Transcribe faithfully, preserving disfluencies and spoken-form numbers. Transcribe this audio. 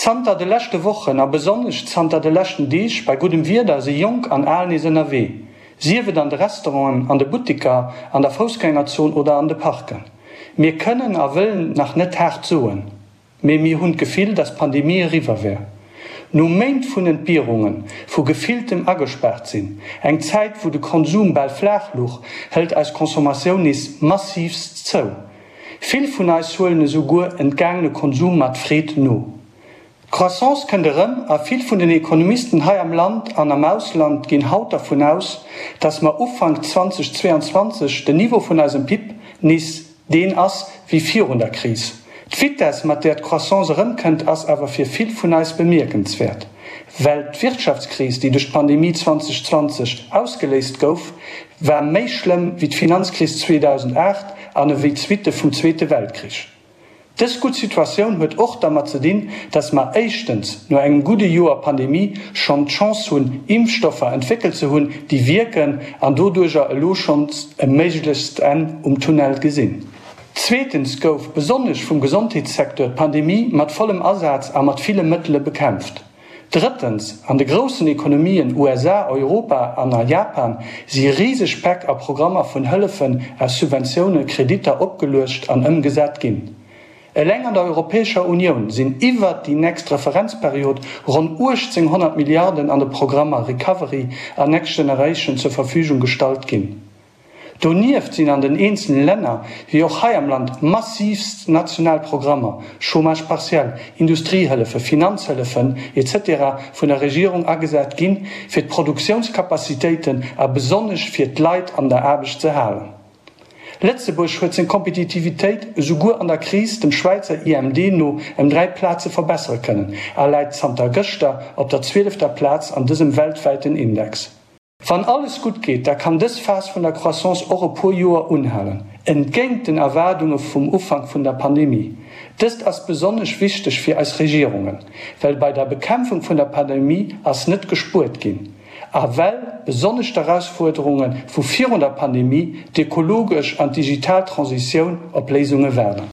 Zanter de leschte Wochen a besonnesch zanter de leschten Deeg bei guddem Wieder si Jonk an Al nees ënnerwee, sief et an de Restauranten, an de Butteker, an der Foussgängerzon oder an de Parken. Mir kënnen a wëllen nach net haart soen, mee mir hunn d'Gefill, dass d'Pandemie eriwwer wär. No Méint vun Entbierungen, vu gefilltem Agespaart-sinn, eng Zäit wou de Konsum bal flaach luch, hëlt eis Consommatioun nees massiivst zou. Vill vun eis huelen esou guer entgaangene Konsum mat Freed no. D'Croissance kënnt erëm a vill vun den Ekonomisten hei am Land an am Ausland ginn haut dervun aus, dass mer Ufank zweitausendzweiundzwanzeg den Niveau vun eisem P I B nees deen ass wéi virun der Kris. D'Vitess, mat där d'Croissance erëmkënnt, ass awer fir vill vun eis bemierkenswäert, well d'Wirtschaftskris, déi duerch d'Pandemie zweitausendzwanzeg ausgeléist gouf, war méi schlëmm wéi d'Finanzkris zweetausendacht an ewéi d'Suitte vum Zweete Weltkrich. Dës gutt Situatioun huet och dermat ze dinn, dass mer éischtens no engem gudde Joer Pandemie schonn d'Chance hunn, Impfstoffer entwéckelt ze hunn, déi wierken an doduerjer elo schonns e méiglechst Enn um Tunnel gesinn. Zweetens gouf besonnesch vum Gesondheetssecteur d'Pandemie mat vollem Asaz a mat ville Mëttele bekämpft. Drëttens, an de groussen Ekonomien U S A, Europa an a Japan si riseg Päck a Programmer vun Hëllefen aus Subventiounen, Kreditter opgeluecht an ëmgesat ginn. Eleng an der Europäescher Unioun sinn iwwert déi nächst Referenzperiod ronn uechtzenghonnert Milliarden an de Programmer Recovery an Next Generation zur Verfügung gestallt ginn. Donieft sinn an den eenzele Länner, wéi och hei am Land, massiivst national Programmer, Chômage partiel, Industriehëllefe, Finanzhëllefen et cetera vun der Regierung agesat ginn, fir d'Produktiounskapazitéiten a besonnesch fir d'Leit an der Aarbecht ze halen. Lëtzebuerg huet seng Kompetitivitéit esouguer an der Kris dem Schwäizer I M D no ëm dräi Plaze verbessere kënnen a läit zanter gëschter op der zwielefter Plaz an dësem weltwäiten Index. Wann alles gutt geet, da kann dës Phas vun der Croissance och e puer Joer unhalen, entgéint den Erwaardunge vum Ufank vun der Pandemie. Dëst ass besonnesch wichteg fir eis Regierungen, well bei der Bekämpfung vun der Pandemie ass net gespuert ginn. A well besonnesch d'Erausfuerderunge vu virun der Pandemie, d'ökologesch an digital Transitioun op Léisunge waarden.